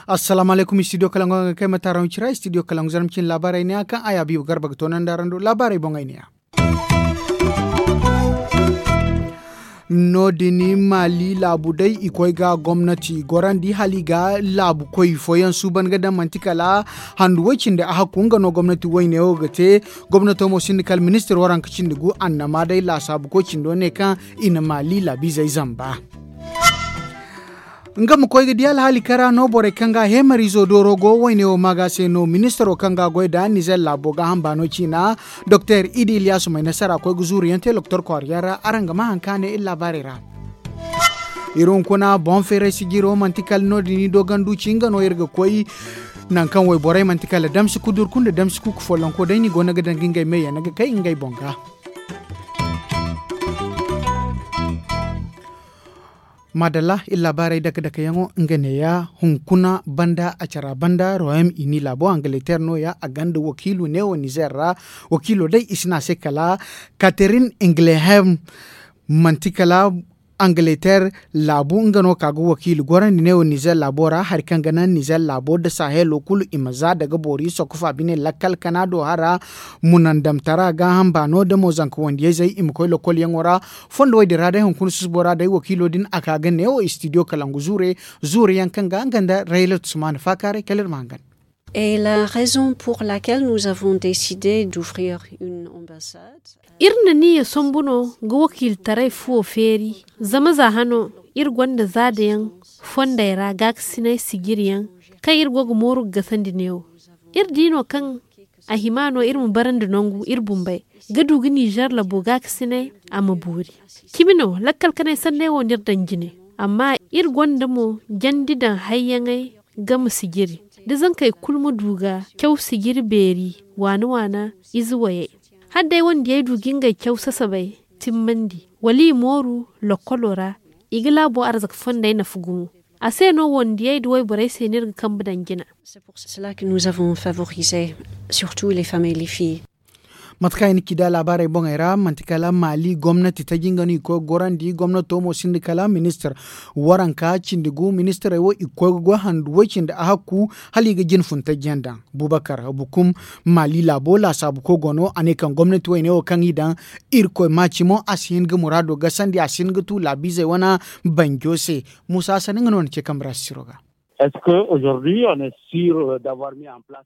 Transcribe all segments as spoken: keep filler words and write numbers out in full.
Assalaamu alaykum, studio kalangu a ga kay ma taaraŋ cira studio kalangu zarma cine laabaarey ne ya kaŋ a ya biiba garba ga toonandi araŋ do laabaarey boŋey ne ya. No- din maali laabu day i koy ga gomnati gorandi hala i ga laabu koy fooyaŋ suuban ga daŋ manti kala handu way cindi a hakku nga no gomnati wayne wo ga te. Gomnato mo sinda kala ministir waranka cindi gu annama day laasaabu koy cindo ne kaŋ i na maali laabiizey zamba. Nga ma koy ga di alhaali kara no borey kaŋ ga heemariizo dooro go wayne wo maaga se no ministiro kaŋ ga goy nda nizer laabo gaaham baano ciina doktor idi iliyaasu may nasara koy ga zuuru yaŋ te loktor kwaara yaŋ ra araŋ ga ma hari kaŋ a ne iri laabaarey ra. Iri hunkuna boŋ feeray sijiro manti kala no- din i doogandu ci nga no iri ga koy. Nangu kaŋ wayborey manti kala damsi kudurku nda damsi kuuku follonko day no i go no ga daŋ ga ngey meeyaŋ no ga kay ngey boŋ ga. Maadalla iri laabaarey dake dake yaŋo nga neeya hunkuna banda a cara banda royaume uni laabo angaleter nooya a gonda wakiilo neewo nizer ra. Wakiilo day i si ne a se kala katerin inglehem manti kala angaleter laabu nga no ka ga wakiilo gorandi neewo nizer laabo ra hari kaŋ ga naŋ nizer laabo nda sahelo kulu i ma za daga boori sokofa bine lakkal kana do hara. Munandamtara gaaham baano nda mo zanka wandiyayzey i ma koy lokolyaŋo ra. Fondo wo- din ra day hunkuna susubo ra day wakiilo din a ka ga neewo studio kalangu zuure zuure yaŋ kaŋ ga nga nda rayla tusmaana faakaaray kala iri ma hangan. Et la raison pour laquelle nous avons décidé d'ouvrir une ambassade. Iri na niya sombu no ga wakiiltaray fuwo feeri zama za hano iri gonda zaadayaŋ fondey ra gaakasinay sijiriyaŋ kaŋ iri go ga mooru ga gasandi neewo. Iri di no kaŋ a hima no iri ma barandi nangu iri bumbey ga du ga nizer labo gaakasinay a ma boori. Cimi no lakkal kanay sanney wo no iri daŋ jine. Amma iri gonda mo jandi daŋ hayyaŋey game sijiri da zankey kulu ma du ga caw sijiri beeri waana waana ize wayey. Hala day wandiyey du ga ngey caw sasabey timmandi wala i mooru lokkolo ra i ga laabo arzaka fondey nafa gumo. A se no wandiyey nda wayborey se no iri ga kambe daŋ jina. Mate kaŋ i na ci nda laabaarey boŋey ra manti kala maali gomnati taji nga no i koy ga gorandi gomnato mo sinda kala ministir waranka cindi gu ministirey wo i ga koy ga goy handu way cindi a hakku hala i ga jine fun taji yaŋ daŋ. Bubakar bukum maali laabo laasaabu koy go no a ne kaŋ gomnati wayne wo kaŋ i daŋ irkoy maaci mo a si hin ga muraado gasandi a si hin ga tu laabiizey wane banjo se. Muusa hassan nga no na ce kambe ra sisiro ga.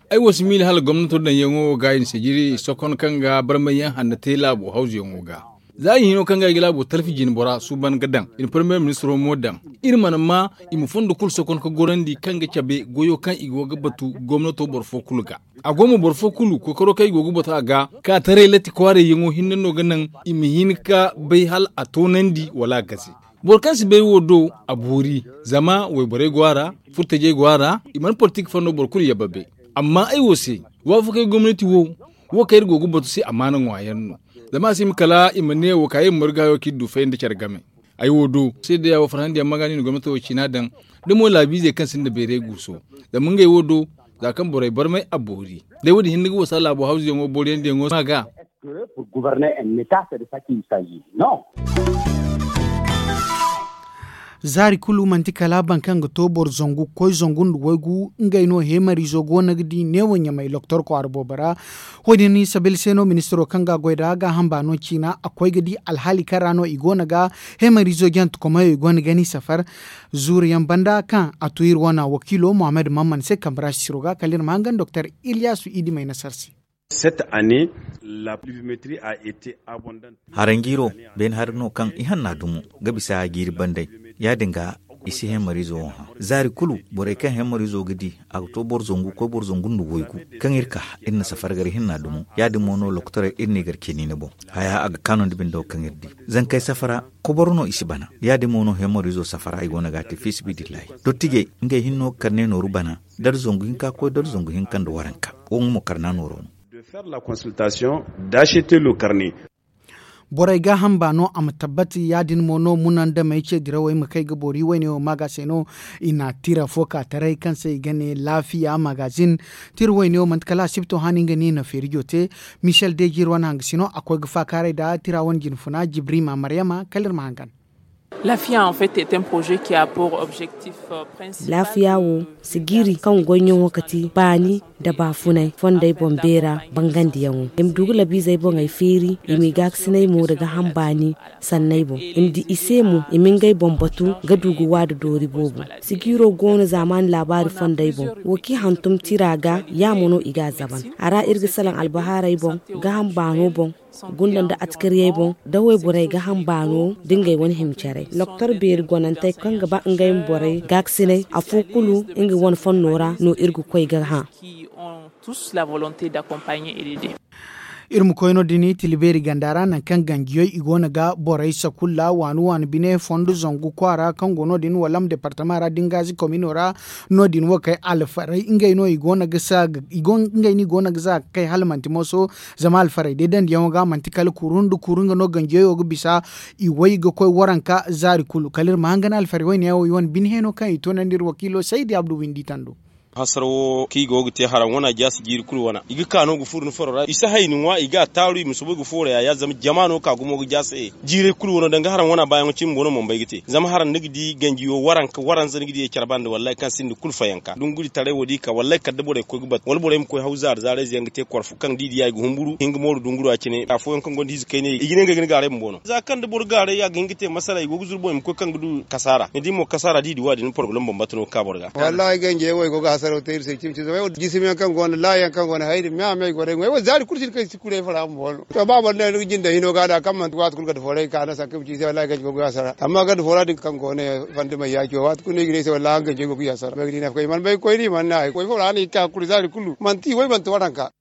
Ay wo si miila hala gomnato daŋyaŋo wo ga i na sijiri sokon kaŋ ga barmay yaŋ hanno te laabo hawzuyaŋo ga. Za i hino kaŋ ga ay ga laabo talfi jine bora suuban ga daŋ i na parmiye ministiro mo daŋ. Iri mana ma i ma fondo kulu sokon ga gorandi kaŋ ga cabe goyo kaŋ i go ga batu gomnato boro fo kulu ga. A go mo boro fo kulu kookaro kaŋ i go ga batu a ga ka taray latti kwaarayyaŋo hinne no ga naŋ i ma hin ga bay hala a toonandi wala a gase. Boro kaŋ si bay wo do a boori. Zama wayborey go a ra furtajey go a ra. I mana politik fo no boro kulu yabba bay. Amma ay wo se waafakey gomnati wo wo kaŋ iri go ga batu se amaana ŋwa yaŋ no. Zama a si hima kala i ma ne wo ka iri ma marga wo kaŋ iri du fay nda care game. Ay wo do seedeya wo farhandi yaŋ ma ga no i na gomnati wo ciina daŋ. Da mo laabiizey kaŋ sinda bayray guuso zama ngey wo do za kaŋ borey barmay a boori. Day wo- din hinne ga wasa laabo hawzuyaŋo booriyandiyaŋo ma ga. Zaari kulu manti kala boro kaŋ ga to boro zangu ga koy zangu nda waygu ngey no heemariizo go no ga di neewo ɲamay loktor kwaara boobo ra. Wo- din sabil se no ministiro kaŋ ga a goy nd'a gaaham baano ciina a koy ga di alhaali kaŋ ra no i go no ga heemariizo jantekomayo i go no ga ni safar. Zuuru yaŋ banda kaŋ a tu iri wane wakiilo muhammad mamman se kambe ra sisiro ga kala iri ma hangan doktor iliyaasu idimay nasar se. Cette année la pluviométrie a été abondante. Haranjiiro beene hari no kaŋ i hanna dumo ga bisa jiiri banday. Ya- din ga i si hemariizo wo hã zaari kulu borey kaŋ hemariizo ga di a ga to boro zangu ga koy boro zangu nda waygu. Kaŋ iri ka iri na safara gar hinna dumo ya- din mo no lokotorey iri n'i gar ceniine boŋ. Haya a ga kaanu nda bindo kaŋ iri di zankey safara koboro no i si bana. Ya- din mo no hemariizo safara i go no ga a te fi sibidillahi dottijey ngey hinno ga karne nooru bana. Dala zangu hinka ga koy dala zangu hinka nda waranka. Wo nga mo karna nooro no. De faire la consultation d'acheter le carnet. Borey gaaham baano a ma tabbati ya- din mo no munandamey ce dirawey ma kay ga boori wayne wo maaga se no. I na tira fo ka taray kaŋ se i ga ne laafiya magazin. Tira wayne wo manti kala asibto haani nga no i na feerijo te. Michel dejir wane hangasino a koy ga faakaaray nda tira wane jinfuna jibrima maryama kala iri ma hangan. Laafiya en fait est un projet qui a pour objectif principal. Laafiya wo sigiiri kaŋ goyyaŋo ga ti baani nda baafunay fondey boŋ beera bangandiyaŋo. I ma du ga labiizey boŋey feeri i m'i gaakasinay mo nda gaaham baani sanney boŋ. I ma di i se mo i ma ngey boŋ batu ga du ga waada doori boobo. Sigiiro go no zaamaani laabaari fondey boŋ. Wo kaŋ i hantum tira ga ya mo no i g'a zaban. A ra iri ga salaŋ albahaarey boŋ, gaaham baano boŋ, gunda nda atkariyey boŋ, da wayborey gaaham baano nda ngey wane hima care. Loktor beeri gonantey kaŋ ga ba ngey ma borey gaakasinay afo kulu nga wane fonno ra no iri ga koy ga hã. Iri ma koy no- din tila beeri ganda ra nangu kaŋ ganjiyey i go no ga borey sakulla waani waani bine fondo zangu kwaara kaŋ go no- din walam departama ra da ni gaazi komino ra. No- din wo kay alfarey ngey no i go no ga za ga kay hala manti mooso. Zama alfarey day dandiyaŋo ga manti kala kuru nda kuru nga no ganjiyey wo ga bisa. I way ga koy waranka zaari kulu kala iri ma hangan alfarey wayne yaŋ wo i wane bine heno kaŋ i toonandi iri wakiilo saydi abdu windi tando. Hasara wo kaŋ i go ga te haraŋ wana jaasi jiiri kulu wana i ga ka no ga furo ni faro ra i si hay ni ŋwa i ga a taaru i ma soobay ga foora yaayaari zama jama no ka gumo ga jaasi. Jiiray kulu wano danga haraŋ wana baayaŋo cine bumbo no mana bay ga te zama haraŋ ni ga di ganji wo waranka waranza ni ga di care banda wallaahi kaŋ sinda kulu fayanka dunguri taray wo da i ka wallaahi kala da borey ga koy ga batu wala borey ma koy haw zaari zaarayze yaŋ ga te korfo kaŋ da i diya i ga humburu hinga mooru dungura cine afooyaŋ kaŋ gonda ize kaynay i ga ne ngey ga ni gaaray bumbo no za kaŋ da boro gaaray a ga hin ga te masala i go ga zuru boŋ i ma koy kaŋ ga du kasaara ni di mo kasaara da i di waadin porobalem bambata no ga ka boro ga. Wallaahi ganjey wo i go ga hasaraw te iri se cimi cimi zama ay wo jisimiyaŋ kaŋ go no laayaŋ kaŋ go no hayri me a me ay go day ŋway wo zaari kulu si ni kaŋ i si kulu ay fara bumbo no to ba boro ne ni ga jinda hino ga da kaŋ manti waati kulu ganda fooray ka no sanka ay ma ci i se wallaahi ganjey go ga hasara amma ganda foora din kaŋ go no fandimey yaaci wo waati kulu no i ga ne ay se wallaahi araŋ ganjey go ga hasara ay ga di ne afo kaŋ i mana bay ga koy no i mana ne hay koy fo ra no i ga ka ga kulu zaari kulu manti i way manti waranka.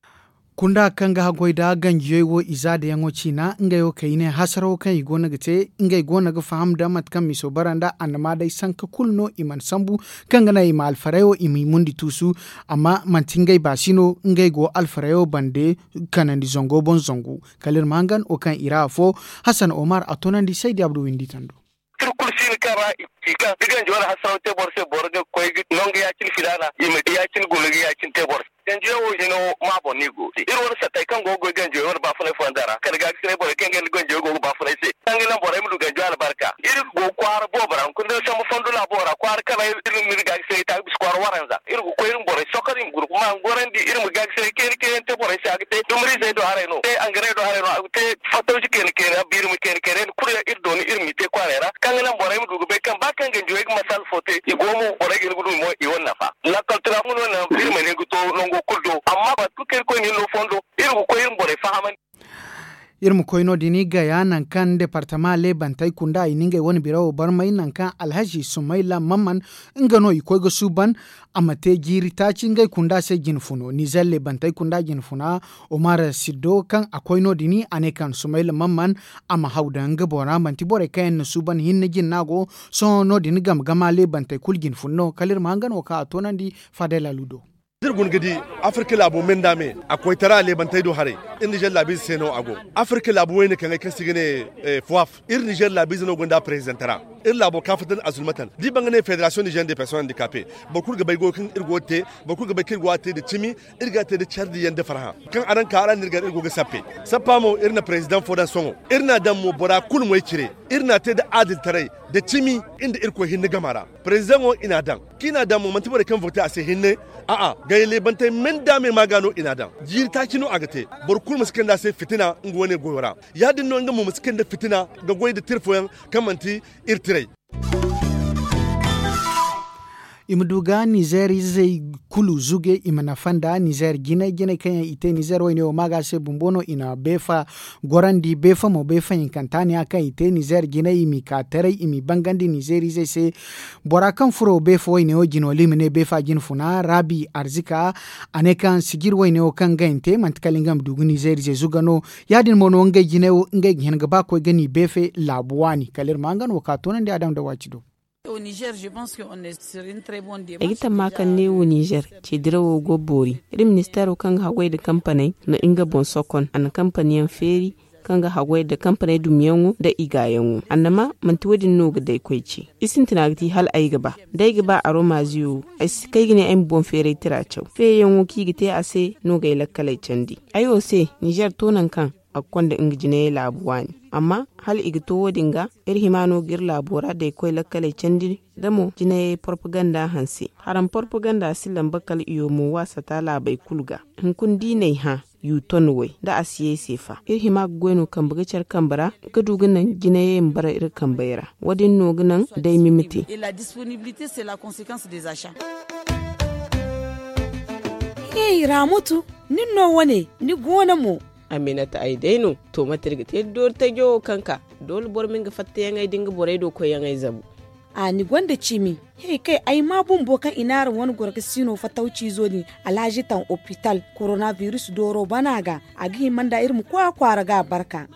Kunda kaŋ ga haggoy nda ganjiyey wo i zaadayaŋo ciina ngey wo kay i ne hasarawo kaŋ i go no ga te ngey go no ga faham nda mate kaŋ miso bara nda annama day sanka kulu no i mana sambu kaŋ ga naŋ i ma alfarey wo i m'i mundi tuusu. Amma manti ngey baasi no ngey go alfarey wo bande kanandi zango boŋ zangu kala iri ma hangan wo kaŋ i ra afo. Hasan omar a toonandi saydi abdu windi tando. Iri kulu siini kaŋ ra i ci kaŋ da ganji wane hasaraw te boro se boro ga koy ga nangu ya- cine filaana i ma ya- cine guna ga ya- cine te boro se ganjiyaŋ wo hino ma boŋ no i go iri wane sattey kaŋ go ga goy ganjiyaŋ wane baafunay fonda ra kala gaakasinay borey kaŋ ga ni ganjiyaŋ go ga baafunay se kaŋ ga naŋ borey ma du ganjiyaŋ albarka iri go ga kwaara boobo ra hunkuna da ni sambu fondo laabo ra kwaara kala iri ma iri gaakasinay ta ga bisa kwaara waranza iri ga koy iri ma borey sokor i ma guna kuma a ga gorandi iri ma gaakasinay kayna kayna te borey se a ga te dumariizey do haray no te angarey do haray no a ga te fattawci kayna kayna biirima kayna kayna yaŋ kulu yaŋ iri dooni iri m'i te kwaarey ra kaŋ ga naŋ borey ma du ga bay kaŋ ba kaŋ ganjiwey ga masal fo te i go mo borey ga hin ga du mo i wane nafa lakkal tira fo no naŋ iri mana hin ga to nango kulu do amma batu kaŋ iri koy no iri no fondo iri ga koy iri ma borey fahamandi. Iri ma koy no- din gaya nangu kaŋ departama leebantey kunda i na ngey wane birawo barmay nangu kaŋ alhazi sumayla mamman nga no i koy ga suuban a ma te jiiri taaci ngey kunda se jinfuno nizer leebantey kunda jinfuna. Omar siddo kaŋ a koy no- din a ne kaŋ sumayla mamman a ma haw daŋ nga boŋ ra manti borey kaŋ yaŋ na suuban hinne jinna go. Sohõ no- din game gama leebantey kulu jinfuna no kala iri ma hangan wo kaŋ a toonandi faadey laalu do. Da iri guna ga di afirka laabo me nda me a koytara leebantey do haray. Iri nizer laabiize se no a go. Afirka laabu wayne kaŋ ay kaŋ se i ga ne foaf iri nizer laabiize no gonda prezidantara. Iri laabo kaafatan azulmatan da i baŋ ga ne federasiyoŋ nizer de personel handikape. Boro kulu ga bay goyo kaŋ iri go ga te boro kulu ga bay kaŋ iri go ga te nda cimi. Iri ga te nda care diyaŋ nda farhã kaŋ araŋ ka araŋ no iri gar iri go ga sappe. Sappa mo iri na prezidaŋ fo daŋ sohõ iri n'a daŋ mo bora kulu moy cire. Iri n'a te nda adiltaray nda cimi. Nda irkoy hinne gama ra prezidaŋo i n'a daŋ kaŋ i n'a daŋ mo manti borey kaŋ vote a se hinne. A'a gay leebantey me nda me ma ga no i n'a daŋ. Jiiri taaci no a ga te. Boro kulu ma si kande a se fitina nga wane goyo ra. Ya- din no nga mo ma si kande fitina ga goy nda tira fooyaŋ kaŋ manti iri tiray. I ma du ga nizer izey kulu zuge i ma nafa nda nizer jinay jinay kaŋ yaŋ i te nizer wayne wo maaga se bumbo no i na beefa gorandi beefa mo beefa hinkanta ne ya kaŋ i te nizer jinay i m'i ka taray i m'i bangandi nizer izey se. Bora kaŋ furo beefa wayne wo jino wala i ma ne beefa jinfuna raabi arzika. A ne kaŋ sijir wayne wo kaŋ ga i na te manti kala nga ma du ga nizer izey zuga no. Ya- din mo no ngey jinay wo ngey ga hin ga ba koy ga n'i beefe laabu waani kala iri ma nga no wo ka toonandi a daŋ nda waaci do. Ay ga tamma kaŋ neewo nizer ce dirawo go boori. Iri ministeero kaŋ ga haggoy nda kampaney na nga boŋ sokon a na kampaniyaŋ feeri. kaŋ ga haggoy nda kampaney dumiyaŋo nda i gaayaŋo. Annama manti wo- din no ga day koy ce. I sintina ga ti hala ay ga ba da ay ga ba aromaaziyo wo, ay si kay ga ne ay ma boŋ feeray tira caw feeyaŋo kaŋ i ga te a se no ga ay lakkaley candi. Ay wo se, ninzeer to nangu kaŋ a ga konda nga jinayey laabu waani. Amma hala i ga to wo- din ga, iri hima no ga iri laabo ra da ay koy lakkaley candi, da mo jinayey porpaganda hanse. Haram porpaganda si lamba kala iyo mo waasata laabey kulu ga. Hunkuna da i n'ay hã, yuton way da a si ye ay se fa, iri hima ga goy no kambe ga care kambe ra, ga du ga naŋ jinayey ma bara iri kambey ra. Wo- din no ga naŋ day mimite. Hey, ramutu, nin no wane ni go no mo? Aminata, ay day no. To mate iri ga te da doori tajo wo kaŋ ka doole boro ma nga fattayaŋey da nga borey do koyyaŋey zabu. A ni gonda cimi. Hey, kay ay ma bumbo kaŋ i n'araŋ wane goro ga siino fatawciizo din, alhazi taŋ opital, koronabiris dooro bana ga. A ga hima nda iri ma koy a kwaara ga a barka.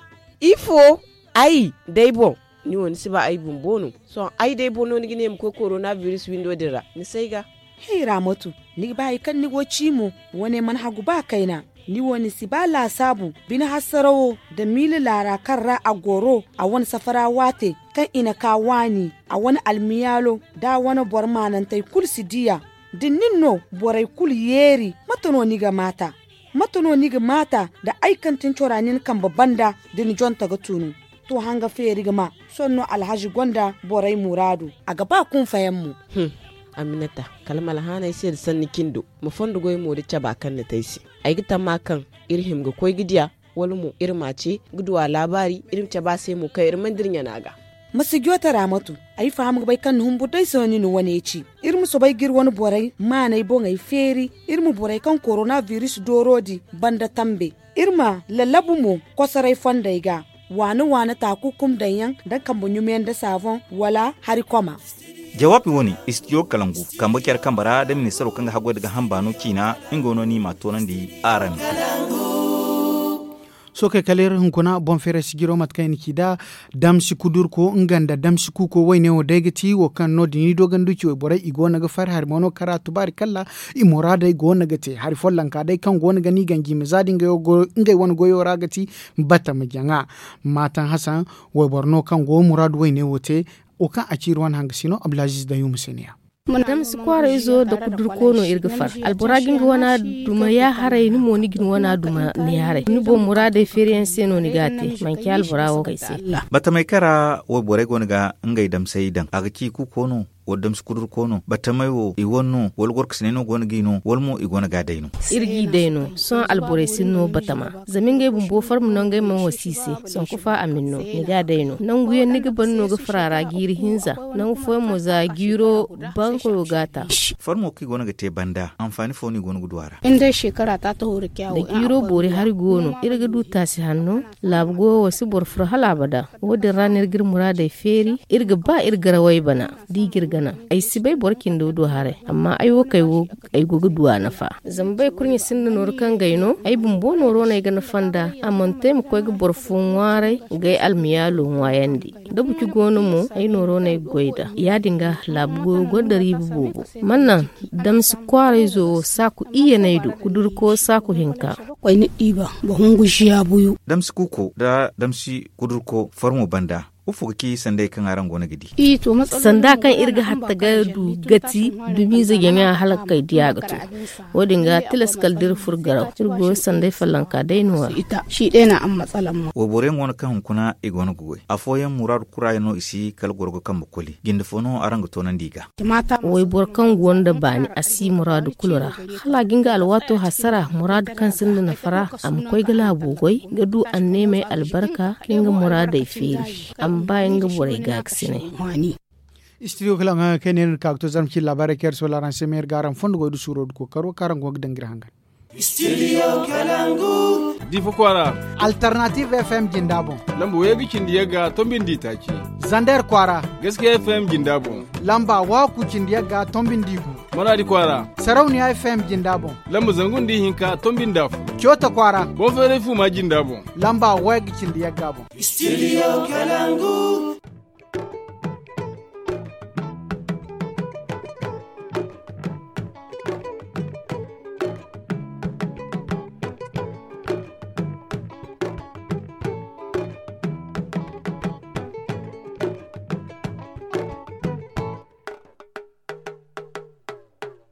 Ifo? Ay day boŋ. Ni wo ni si ba ay bumbo no? Sohõ ay day boŋ no ni ga ne ay ma koy koronabiris windo din ra? Ni si ay ga. Hey, ramotu, ni ga ba hari kaŋ ni go ci mo? Wane mana hagu ba kayna. Ni wo ni si ba laasaabu bine hasarawo nda miila laara kaŋ ra a goro, a wane safara waate kaŋ i na ka waani, a wane almiyaalo, da a wane boro maanantey kulu si diya. Da nin no borey kulu yeeri, mate no ni ga maata? Mate no ni ga maata da ay kaŋ tin cora nin kambe banda da ni jonta ga tunu? To hanga feeri ga ma. Sohõ no alhazi gonda borey muraadu. A ga ba kunfayaŋ mo. Aminata, kala ma alhaanay se nda sanni cindo, ma fondo goy mo da caba kaŋ ni te ay se. Ay ga tamma kaŋ iri hima ga koy ga diya, wala mo iri ma a ce ga du a laabaari, iri ma cabe a se mo kaŋ iri mana dira ɲana ga. Ma si joote raamatu. Ay faham ga bay kaŋ ni humbur day se no ni na wane ci. Iri ma soobay ga iri wane borey maanay boŋey feeri. Iri ma borey kaŋ koronabiris dooro di banda tambe. Iri ma lallabu mo kosoray fondey ga, waana-waana taakukum daŋyaŋ da kambe ɲumeyaŋ da saaboŋ wala hari koma. Jawaabi wane istidiyo kalangu kambe care kambe ra da ministaro kaŋ ga haggoy da ga hamba no ciina. Nga no ni ma a toonandi araŋ. Sookey kala iri hunkuna boŋ feeray sijiro mate kaŋ i na ci nd'a. Damsi kudurko nga nda damsi kuuko wayne wo day ga ti wo kaŋ no- din i doogandu ci wayborey i go no ga fari hari mo no kara tubaari kalla. I muraadey go no ga te hari follonka day kaŋ go no ga ni ganji ma za da ngey wane goyo ra ga ti batama jaŋa. Maataŋ hasan wayboro no kaŋ go muraadu wayne wo te. Wo kaŋ a ci iri wane hanga si no abdulaziiz dayuuma se ne ya. Damsi kwaarayzo nda kudurko no iri ga far. Albora ga nga wana duma yaaharay ni mo ni ga ni wana duma ni yaaharay ni boŋ muraadey feeriyaŋ se no ni ga a te. Manci albora wo kay se. Batamey kara wayborey go no ga ngey damsey daŋ a ga ci kuuko no? Wala damsi kudurko no batamey wo i wane no wala gorkasiney no go no g'i no wala mo i go no ga a day no? Iri g'i day no. Sohõ alborey sinda no batama zama ngey bumbo farma no ngey mana wasi i se. Sanku fa a ma ni no ni ga a day no nangu yaŋ ni ga ban no ga far a ra jiiri hinza. Nangu fooyaŋ mo za jiiro bankoyo ga a ta. Farmo kaŋ i go no ga te banda anfaani fo no i go no ga du a ra? Da jiiro boori hari go no iri ga du taasi hanno. Laabu goyo wo si boro furo hala abada. Wo- din ra no iri ga iri muraadey feeri. Iri ga ba iri garawey bana da i ga iri gana. Ay si bay boro cindo do haray amma ay wo kay wo ay go ga du a nafa. Zama bay kurɲe sinda nooru kaŋ gay no ay bumbo nooro no ay ga nafa nd'a. A mana to ay ma koy ga boro fo ŋwaaray ga ay almiyaalo ŋwaayandi. Da buci go no mo ay nooro no ay ga goy nd'a. Ya- din ga laabu goyo gonda riiba boobo. Mana naŋ damsi kwaarayzo wo saaku iyyaney do kudurko saaku hinka. Damsi kuuko nda damsi kudurko farmo banda ifo ga ci sanday kaŋ araŋ go no ga di? Sanda kaŋ iri ga hatta ga du gati dumiize jaŋa hala ga kay diya ga to. Wo- din ga tilas kala da iri furo garaw iri goyo sanday follonka day no- ya. Wayborey mo no kaŋ hunkuna i go no ga goy afooyaŋ muraadu kurayaŋ no i si kala goro ga kambe koli jinde fo no araŋ ga toonandi i ga? Wayboro kaŋ go nda baani a si muraadu kulu ra. Hala a ga nga alwaato hasara muraadu kaŋ sinda nafa ra a ma koy ga laabo goy ga du anneemey albarka ka nga muraadey feeri. A ma ba nga borey gaakasinay. Istidiyo kala nga kay ne no ni ka ga to zarma cine laabaarey kaŋ iri soola araŋ se ma iri ga araŋ fondo goy da suuro da kookaro kaŋ araŋ go ga daŋ ga iri hangan. Difa kwaara. Alternative F M jinda boŋ. Lamba way ga cindi yagga tombindi taaci. Zander kwaara. Gaskiya F M jinda boŋ. Lamba waaku cindi yagga tombindi gu. Manaadi kwaara. Sarauniya F M jinda boŋ. Lamba zangu nda ihinka tombindi afo. Coota kwaara. Boŋ feeray fuuma jinda boŋ. Lamba way ga cindi yagga boŋ. Studio Kalangu.